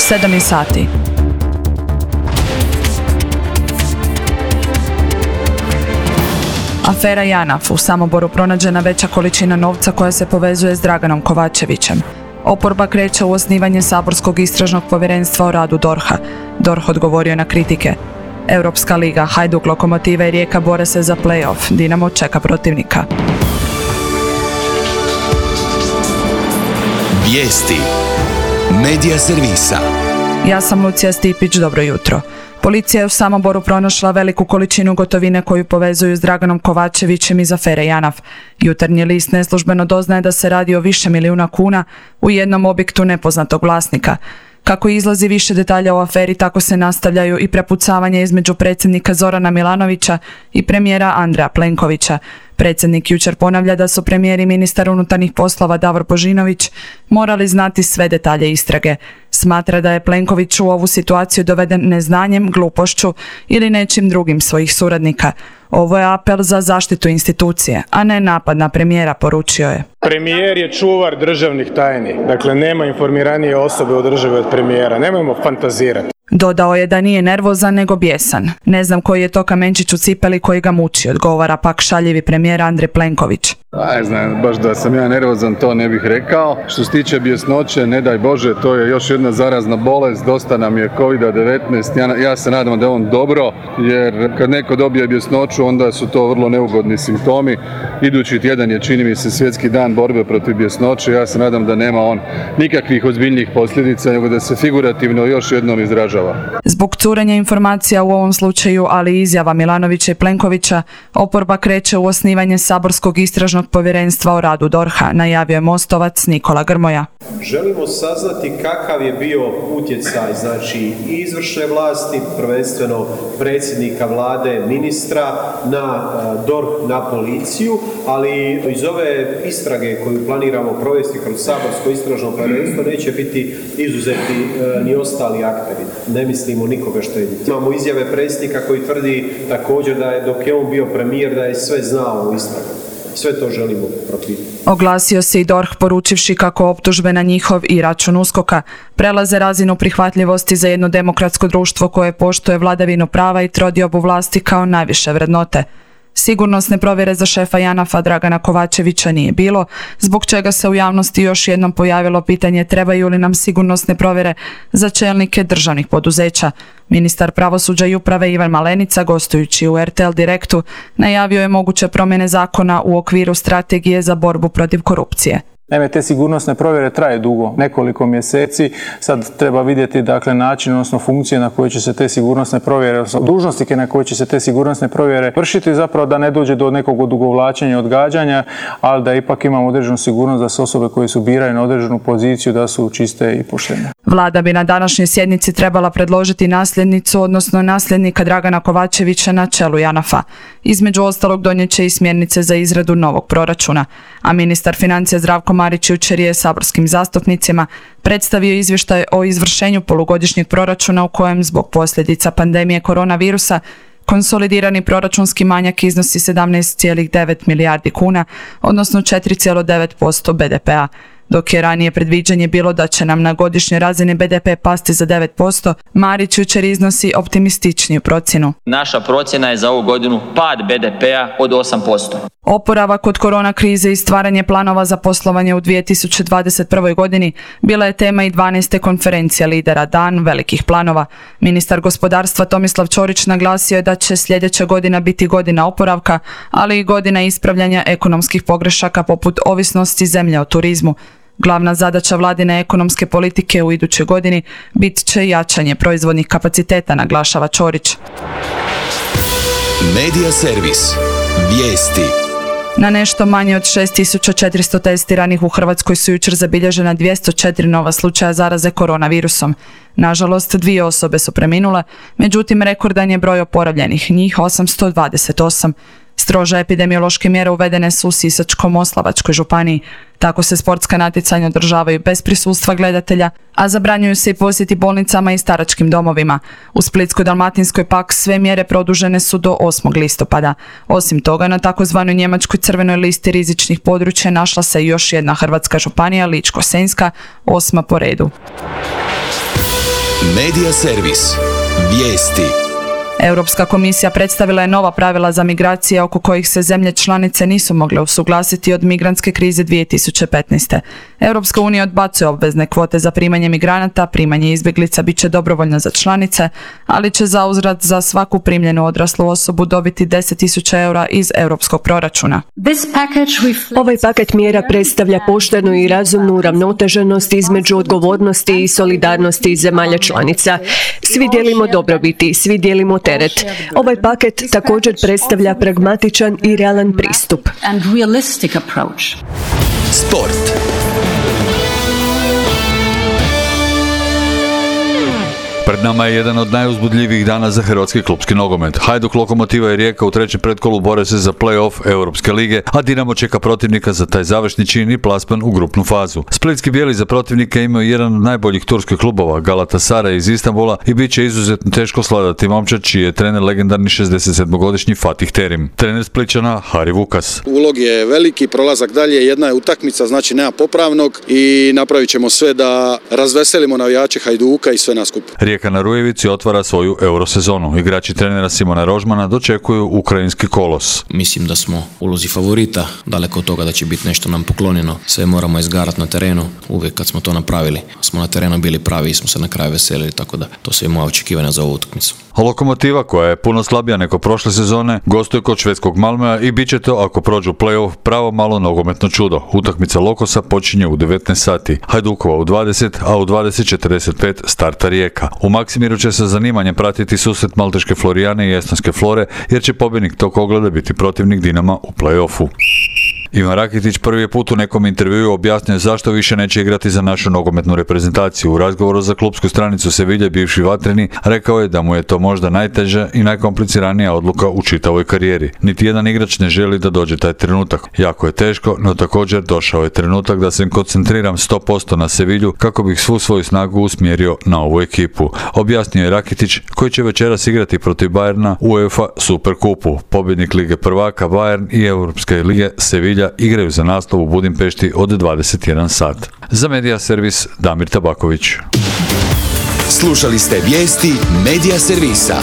7 sati. Afera JANAF. U Samoboru pronađena veća količina novca koja se povezuje s Draganom Kovačevićem. Oporba kreće u osnivanje saborskog istražnog povjerenstva o radu DORH-a. DORH odgovorio na kritike. Europska liga, Hajduk, Lokomotiva i Rijeka bore se za play-off. Dinamo čeka protivnika. Vijesti. Medija servisa. Ja sam Lucija Stipić, dobro jutro. Policija je u Samoboru pronašla veliku količinu gotovine koju povezuju s Draganom Kovačevićem iz afere JANAF. Jutarnji list neslužbeno doznaje da se radi o više milijuna kuna u jednom objektu nepoznatog vlasnika. Kako izlazi više detalja o aferi, tako se nastavljaju i prepucavanje između predsjednika Zorana Milanovića i premijera Andreja Plenkovića. Predsjednik jučer ponavlja da su premijer i ministar unutarnjih poslova Davor Božinović morali znati sve detalje istrage. Smatra da je Plenković u ovu situaciju doveden neznanjem, glupošću ili nečim drugim svojih suradnika. Ovo je apel za zaštitu institucije, a ne napad na premijera, poručio je. Premijer je čuvar državnih tajni, dakle nema informiranije osobe u državi od premijera, nemojmo fantazirati. Dodao je da nije nervozan nego bijesan. Ne znam koji je to kamenčić u cipeli koji ga muči, odgovara pak šaljivi premijer Andrej Plenković. Ne znam, baš da sam ja nervozan, to ne bih rekao. Što se tiče bjesnoće, ne daj Bože, to je još jedna zarazna bolest, dosta nam je COVID-19, ja se nadam da je on dobro, jer kad neko dobije bjesnoću, onda su to vrlo neugodni simptomi. Idući tjedan je, čini mi se, svjetski dan borbe protiv bjesnoće, ja se nadam da nema on nikakvih ozbiljnijih posljedica, nego da se figurativno još jednom izražava. Zbog curenja informacija u ovom slučaju, ali i izjava Milanovića i Plenkovića, oporba kreće u osnivanje saborskog istražnog povjerenstva o radu DORH-a, najavio je Mostovac Nikola Grmoja. Želimo saznati kakav je bio utjecaj, znači i izvršne vlasti, prvenstveno predsjednika vlade, ministra, na DORH, na policiju, ali iz ove istrage koju planiramo provesti kroz saborsko istražno povjerenstvo neće biti izuzeti ni ostali akteri. Ne mislimo nikoga štediti. Imamo izjave predsjednika koji tvrdi također da je dok je on bio premijer da je sve znao u istragu. Sve to želimo propitati. Oglasio se i DORH poručivši kako optužbe na njihov i račun USKOK-a prelaze razinu prihvatljivosti za jedno demokratsko društvo koje poštuje vladavinu prava i trodiobu vlasti kao najviše vrednote. Sigurnosne provjere za šefa JANAF-a Dragana Kovačevića nije bilo, zbog čega se u javnosti još jednom pojavilo pitanje trebaju li nam sigurnosne provjere za čelnike državnih poduzeća. Ministar pravosuđa i uprave Ivan Malenica, gostujući u RTL Direktu, najavio je moguće promjene zakona u okviru strategije za borbu protiv korupcije. Naime, te sigurnosne provjere traje dugo, nekoliko mjeseci. Sad treba vidjeti način, odnosno funkcije na koje će se te sigurnosne provjere, odnosno dužnosnike na koje će se te sigurnosne provjere vršiti, zapravo da ne dođe do nekog odugovlačenja, odgađanja, ali da ipak imamo određenu sigurnost da se osobe koje su birane na određenu poziciju da su čiste i poštene. Vlada bi na današnjoj sjednici trebala predložiti nasljednicu, odnosno nasljednika Dragana Kovačevića na čelu JANAF-a. Između ostalog donijet će i smjernice za izradu novog proračuna, a ministar financija Zdravko Marić jučer je saborskim zastupnicima predstavio izvještaj o izvršenju polugodišnjeg proračuna u kojem zbog posljedica pandemije koronavirusa konsolidirani proračunski manjak iznosi 17,9 milijardi kuna, odnosno 4,9% BDP-a. Dok je ranije predviđanje bilo da će nam na godišnjoj razini BDP pasti za 9%, Marić jučer iznosi optimističniju procjenu. Naša procjena je za ovu godinu pad BDP-a od 8%. Oporavak od korona krize i stvaranje planova za poslovanje u 2021. godini bila je tema i 12. konferencije lidera Dan velikih planova. Ministar gospodarstva Tomislav Ćorić naglasio je da će sljedeća godina biti godina oporavka, ali i godina ispravljanja ekonomskih pogrešaka poput ovisnosti zemlje o turizmu. Glavna zadaća vladine ekonomske politike u idućoj godini bit će jačanje proizvodnih kapaciteta, naglašava Ćorić. Medija servis. Vijesti. Na nešto manje od 6400 testiranih u Hrvatskoj su jučer zabilježena 204 nova slučaja zaraze koronavirusom. Nažalost, 2 osobe su preminule, međutim rekordan je broj oporavljenih, njih 828. Strože epidemiološke mjere uvedene su u Sisačko-moslavačkoj županiji. Tako se sportska natjecanja održavaju bez prisustva gledatelja, a zabranjuju se i posjeti bolnicama i staračkim domovima. U Splitsko-dalmatinskoj pak sve mjere produžene su do 8. listopada. Osim toga, na takozvanoj njemačkoj crvenoj listi rizičnih područja našla se još jedna hrvatska županija, Ličko-senjska, 8. po redu. Medija servis. Vijesti. Europska komisija predstavila je nova pravila za migracije oko kojih se zemlje članice nisu mogle usuglasiti od migrantske krize 2015. Europska unija odbacuje obvezne kvote za primanje migranata, primanje izbjeglica bit će dobrovoljno za članice, ali će zauzvrat za svaku primljenu odraslu osobu dobiti 10.000 eura iz europskog proračuna. Ovaj paket mjera predstavlja poštenu i razumnu uravnoteženost između odgovornosti i solidarnosti zemalja članica. Svi dijelimo dobrobiti, svi dijelimo teret. Ovaj paket također predstavlja pragmatičan i realan pristup. Sport. Pred nama je jedan od najuzbudljivijih dana za hrvatski klupski nogomet. Hajduk, Lokomotiva i Rijeka u trećem pretkolu bore se za play-off Europske lige, a Dinamo čeka protivnika za taj završni čin i plasman u grupnu fazu. Splitski bijeli za protivnika imaju jedan od najboljih turskih klubova, Galatasaray iz Istanbula, i bit će izuzetno teško svladati momčad čiji je trener legendarni 67-godišnji Fatih Terim. Trener Splićana Hari Vukas. Ulog je veliki, prolazak dalje, jedna je utakmica, znači nema popravnog i napravit ćemo sve da razveselimo navijače Hajduka i sve nas skup. Rijeka na Rujevici otvara svoju eurosezonu. Igrači trenera Simona Rožmana dočekuju ukrajinski kolos. Mislim da smo ulozi favorita, daleko od toga da će biti nešto nam poklonjeno. Sve moramo izgarati na terenu. Uvijek kad smo to napravili, smo na terenu bili pravi i smo se na kraju veselili, tako da to su i moja očekivanja za ovu utakmicu. A Lokomotiva, koja je puno slabija nego prošle sezone, gostuje kod švedskog Malmöa i bit će to, ako prođu play-off, pravo malo nogometno čudo. Utakmica Lokosa počinje u 19 sati, Hajdukova u 20, a u 20:45 starta Rijeka. U Maksimiru će sa zanimanjem pratiti susret malteške Florijane i estonske Flore, jer će pobjednik tog ogleda biti protivnik Dinama u play-offu. Ivan Rakitić prvi je put u nekom intervjuu objasnio zašto više neće igrati za našu nogometnu reprezentaciju. U razgovoru za klupsku stranicu Sevilje, bivši vatreni, rekao je da mu je to možda najteža i najkompliciranija odluka u čitavoj karijeri. Niti jedan igrač ne želi da dođe taj trenutak. Jako je teško, no također došao je trenutak da se koncentriram 100% na Sevilju kako bih svu svoju snagu usmjerio na ovu ekipu. Objasnio je Rakitić, koji će večeras igrati protiv Bayerna u UEFA Superkupu. Pobjednik Lige prvaka Bayern i Europske lige Sevilja igraju za naslov u Budimpešti od 21 sat. Za Medija servis Damir Tabaković. Slušali ste vijesti Medija servisa.